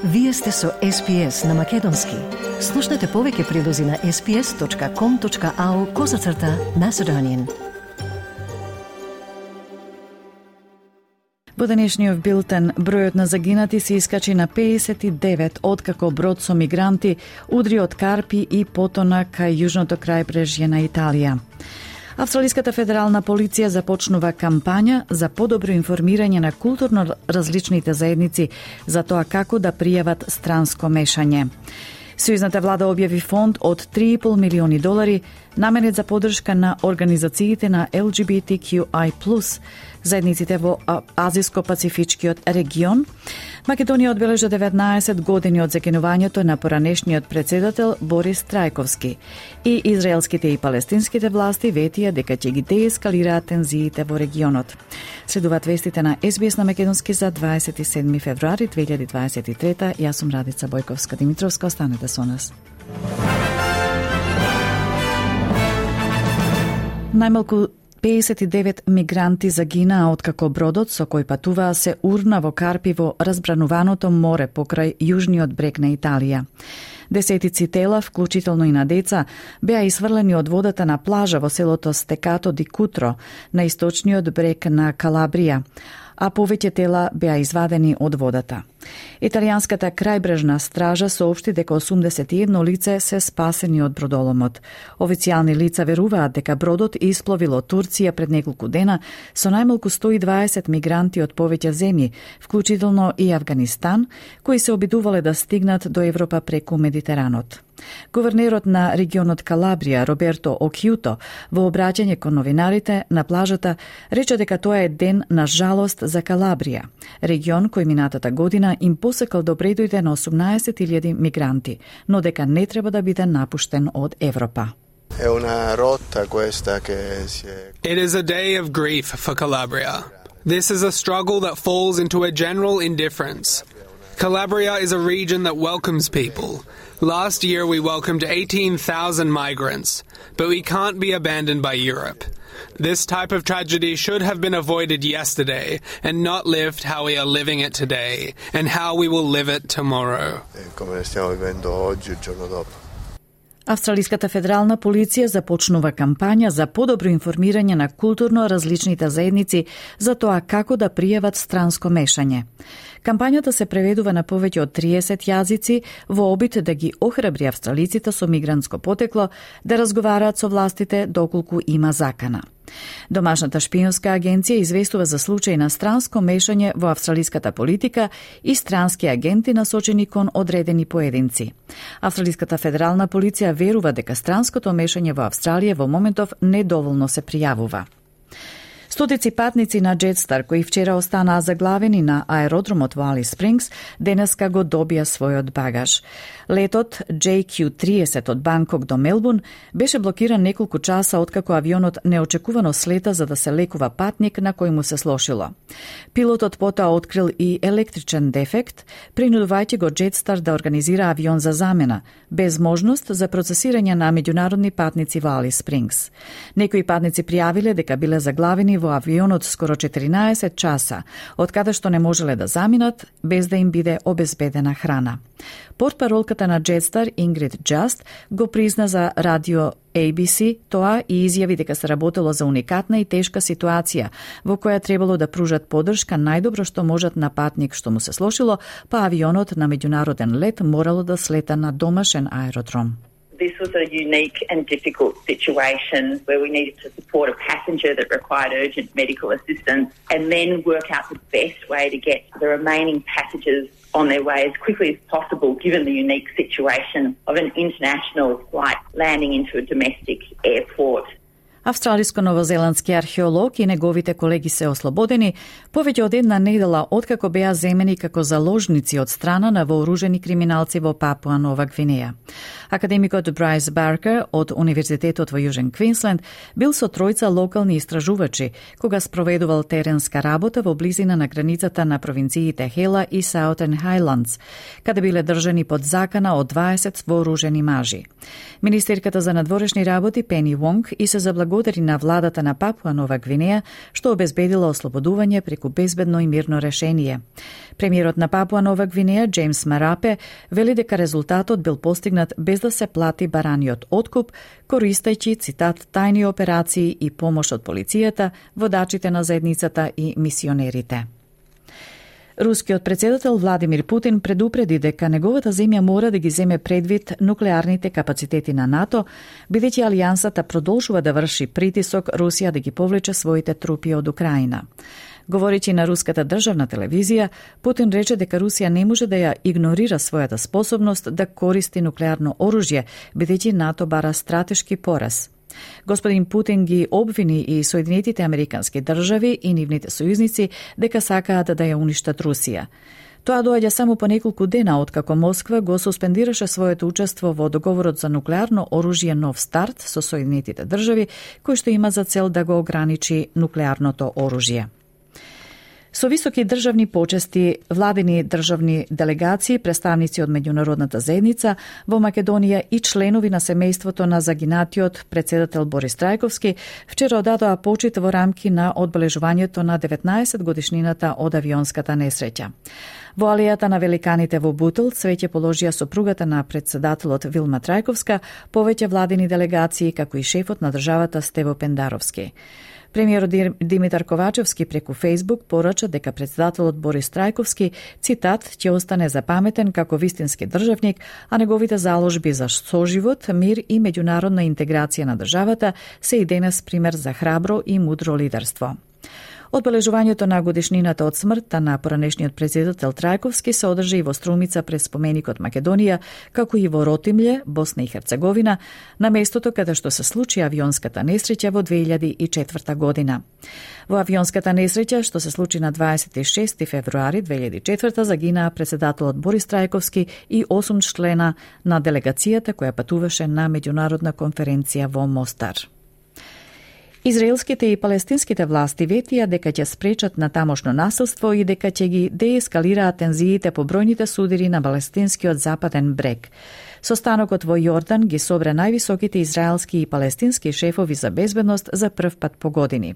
Вие сте со SPS на Македонски. Слушнете повеќе прилози на sps.com.au/Macedonian. Во денешниот билтен, бројот на загинати се искачи на 59 откако брод со мигранти удри од Карпи и потона кај јужното крајбрежје на Италија. Австралиската федерална полиција започнува кампања за подобро информирање на културно различните заедници за тоа како да пријават странско мешање. Сојузната влада објави фонд од $3,5 милиони наменет за поддршка на организациите на LGBTQI+, заедниците во Азиско-Пацифичкиот регион. Македонија одбележа 19 години од закинувањето на поранешниот председател Борис Трајковски и израелските и палестинските власти ветија дека ќе ги деескалираат тензиите во регионот. Следуваат вестите на SBS на Македонски за 27 февруари 2023. Јас сум Радица Бојковска-Димитровска, останете со нас. Најмалку 59 мигранти загинаа откако бродот со кој патуваа се урна во Карпи во разбрануваното море покрај јужниот брег на Италија. Десетици тела, вклучително и на деца, беа исфрлени од водата на плажа во селото Стекато ди Кутро на источниот брег на Калабрија, а повеќе тела беа извадени од водата. Италијанската крајбрежна стража соопшти дека 81 лице се спасени од бродоломот. Официјални лица веруваат дека бродот испловил од Турција пред неколку дена со најмалку 120 мигранти од повеќе земји, вклучително и Авганистан, кои се обидувале да стигнат до Европа преку Медитеранот. Гувернерот на регионот Калабрија, Роберто Окјуто, во обраќање кон новинарите на плажата, рече дека тоа е ден на жалост за Калабрија, регион кој минатата година им посекал да дојде на 18.000 мигранти, но дека не треба да биде напуштен од Европа. It is a day of grief for Calabria. This is a struggle that falls into a general indifference. Calabria is a region that welcomes people. Last year we welcomed 18,000 migrants, but we can't be abandoned by Europe. This type of tragedy should have been avoided yesterday and not lived how we are living it today and how we will live it tomorrow. Австралиската федерална полиција започнува кампања за подобро информирање на културно различните заедници за тоа како да пријават странско мешање. Кампањата се преведува на повеќе од 30 јазици во обид да ги охрабри австралиците со мигрантско потекло да разговараат со властите доколку има закана. Домашната шпионска агенција известува за случај на странско мешање во австралиската политика и странски агенти насочени кон одредени поединци. Австралиската федерална полиција верува дека странското мешање во Австралија во моментов недоволно се пријавува. Стотици патници на Jetstar кои вчера останаа заглавени на аеродромот во Алис Спрингс, денеска го добија својот багаж. Летот JQ30 од Банкок до Мелбурн беше блокиран неколку часа откако авионот неочекувано слета за да се лекува патник на кој му се слошило. Пилотот потоа открил и електричен дефект, принудувајќи го Jetstar да организира авион за замена, без можност за процесирање на меѓународни патници во Алис Спрингс. Некои патници пријавиле дека биле заглавени во авионот скоро 14 часа, од каде што не можеле да заминат без да им биде обезбедена храна. Портпаролката на Jetstar, Ингрид Джаст, го призна за радио ABC тоа и изјави дека се работело за уникатна и тешка ситуација во која требало да пружат поддршка најдобро што можат на патник што му се слошило, па авионот на меѓународен лет морало да слета на домашен аеродром. This was a unique and difficult situation where we needed to support a passenger that required urgent medical assistance and then work out the best way to get the remaining passengers on their way as quickly as possible given the unique situation of an international flight landing into a domestic airport. Австралиско-новозеландски археолог и неговите колеги се ослободени повеќе од една недела откако беа земени како заложници од страна на вооружени криминалци во Папуа Нова Гвинеја. Академикот Брайс Баркер од Универзитетот во Јужен Квинсленд бил со тројца локални истражувачи кога спроведувал теренска работа во близина на границата на провинциите Хела и Саутен Хајландс, каде биле држани под закана од 20 вооружени мажи. Министерката за надворешни работи Пени Вонг и се заблагодарила благодари на владата на Папуа Нова Гвинеја, што обезбедила ослободување преку безбедно и мирно решение. Премиерот на Папуа Нова Гвинеја, Джеймс Марапе, вели дека резултатот бил постигнат без да се плати бараниот откуп, користејќи, цитат, тајни операции и помош од полицијата, водачите на заедницата и мисионерите. Рускиот председател Владимир Путин предупреди дека неговата земја мора да ги земе предвид нуклеарните капацитети на НАТО, бидејќи алијансата продолжува да врши притисок Русија да ги повлече своите трупи од Украина. Говорејќи на руската државна телевизија, Путин рече дека Русија не може да ја игнорира својата способност да користи нуклеарно оружје, бидејќи НАТО бара стратешки пораз. Господин Путин ги обвини и Соединетите Американски држави и нивните сојузници дека сакаат да ја уништат Русија. Тоа доаѓа само по неколку дена откако Москва го суспендираше своето учество во договорот за нуклеарно оружје Нов старт со Соединетите држави, кој што има за цел да го ограничи нуклеарното оружје. Со високи државни почести, владени државни делегации, представници од меѓународната заедница во Македонија и членови на семејството на загинатиот председател Борис Трајковски вчера одадоа почит во рамки на одбележувањето на 19 годишнината од авионската несреќа. Во алејата на великаните во Бутел цвеќе положија сопругата на председателот Вилма Трајковска, повеќе владени делегации, како и шефот на државата Стево Пендаровски. Премиерот Димитар Ковачевски преку Фејсбук порача дека председателот Борис Трајковски, цитат, ќе остане запаметен како вистински државник, а неговите заложби за соживот, мир и меѓународна интеграција на државата се и денес пример за храбро и мудро лидерство. Одбележувањето на годишнината од смртта на поранешниот председател Трајковски се одржа и во Струмица пред споменикот Македонија, како и во Ротимље, Босна и Херцеговина, на местото каде што се случи авионската несреќа во 2004 година. Во авионската несреќа, што се случи на 26 февруари 2004, загинаа председателот Борис Трајковски и 8 члена на делегацијата која патуваше на меѓународна конференција во Мостар. Израелските и палестинските власти ветија дека ќе спречат на тамошно насилство и дека ќе ги деескалираат тензиите по бројните судири на палестинскиот западен брег. Состанокот во Јордан ги собра највисоките израелски и палестински шефови за безбедност за прв пат по години.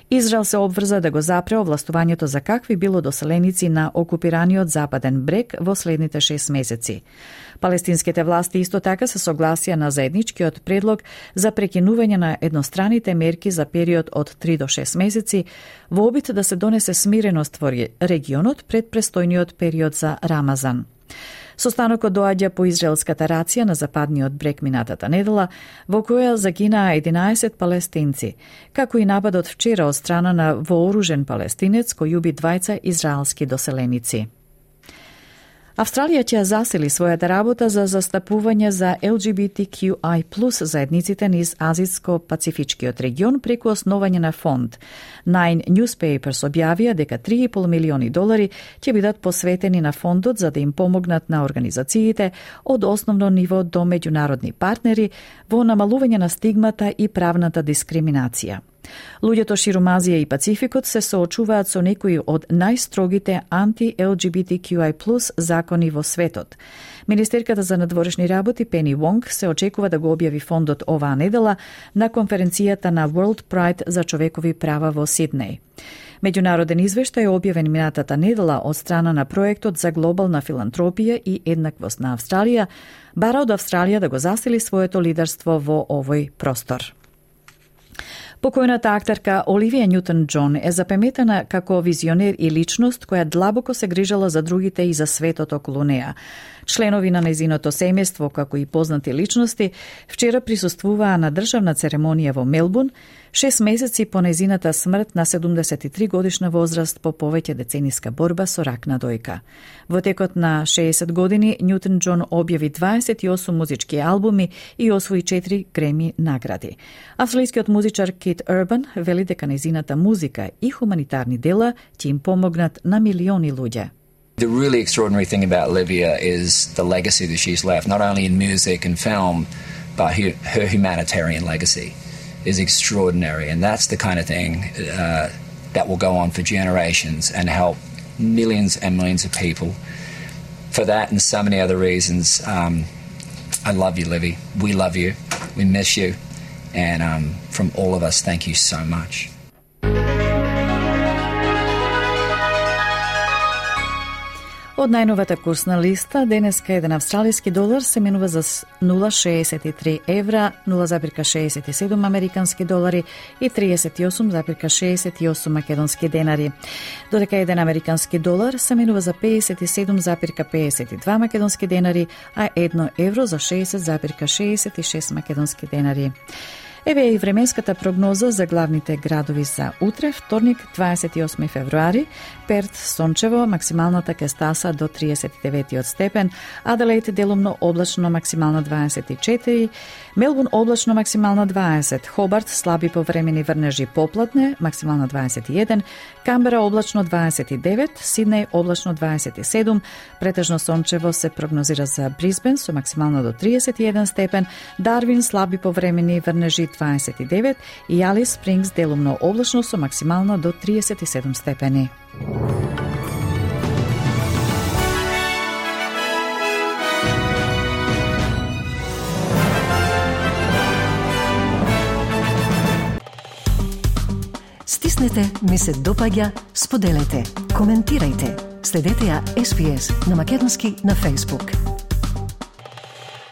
Израел се обврза да го запре овластувањето за какви било доселеници на окупираниот западен брег во следните 6 месеци. Палестинските власти исто така се согласија на заедничкиот предлог за прекинување на едностраните мерки за период од 3 до 6 месеци во обид да се донесе смиреност во регионот пред престојниот период за Рамазан. Состанокот доаѓа по израелската рација на западниот брег минатата недела, во која загинаа 11 палестинци, како и нападот вчера од страна на вооружен палестинец кој уби 2 израелски доселеници. Австралија ќе засили својата работа за застапување за LGBTQI+ заедниците низ Азиско-Пацифичкиот регион преку основање на фонд. Nine Newspapers објавија дека $3,5 милиони ќе бидат посветени на фондот за да им помогнат на организациите од основно ниво до меѓународни партнери во намалување на стигмата и правната дискриминација. Луѓето ширум Азија и Пацификот се соочуваат со некои од најстрогите анти-LGBTQI+ закони во светот. Министерката за надворешни работи Пени Вонг се очекува да го објави фондот оваа недела на конференцијата на World Pride за човекови права во Сиднеј. Меѓународен извештај објавен минатата недела од страна на проектот за глобална филантропија и еднаквост на Австралија бара од Австралија да го засили своето лидерство во овој простор. Покојната актерка Оливија Њутон-Џон е запаметена како визионер и личност која длабоко се грижала за другите и за светот околу неа. Членови на нејзиното семејство, како и познати личности, вчера присуствуваа на државна церемонија во Мелбурн, 6 месеци по нејзината смрт на 73 годишна возраст по повеќе децениска борба со рак на дојка. Во текот на 60 години Њутон-Џон објави 28 музички албуми и освои 4 Греми награди. Австралискиот музичар Кит Урбан вели дека нејзината музика и хуманитарни дела ќе им помогнат на милиони луѓе. The really extraordinary thing about Olivia is the legacy that she's left, not only in music and film, but her humanitarian legacy is extraordinary. And that's the kind of thing that will go on for generations and help millions and millions of people. For that and so many other reasons, I love you, Livy. We love you. We miss you. And from all of us, thank you so much. Од најновата курсна листа, денеска еден австралиски долар се менува за 0,63 евра, 0,67 американски долари и 38,68 македонски денари. Додека еден американски долар се менува за 57,52 македонски денари, а 1 евро за 60,66 македонски денари. Еве и временската прогноза за главните градови за утре, вторник, 28 февруари. Перт сончево, максималната ќе стаса до 39 степен, Аделаид делумно облачно, максимално 24, Мелбурн облачно, максимално 20, Хобарт слаби повремени врнежи поплатне, максимално 21, Камбера облачно 29, Сиднеј облачно 27, претежно сончево се прогнозира за Брисбен со максимално до 31 степен, Дарвин слаби повремени врнежи 29 и Алис Спрингс делумно облачно со максимално до 37 степени. Стиснете, ми се допаѓа, споделете, коментирајте. Следете ја SPS на Македонски на Facebook.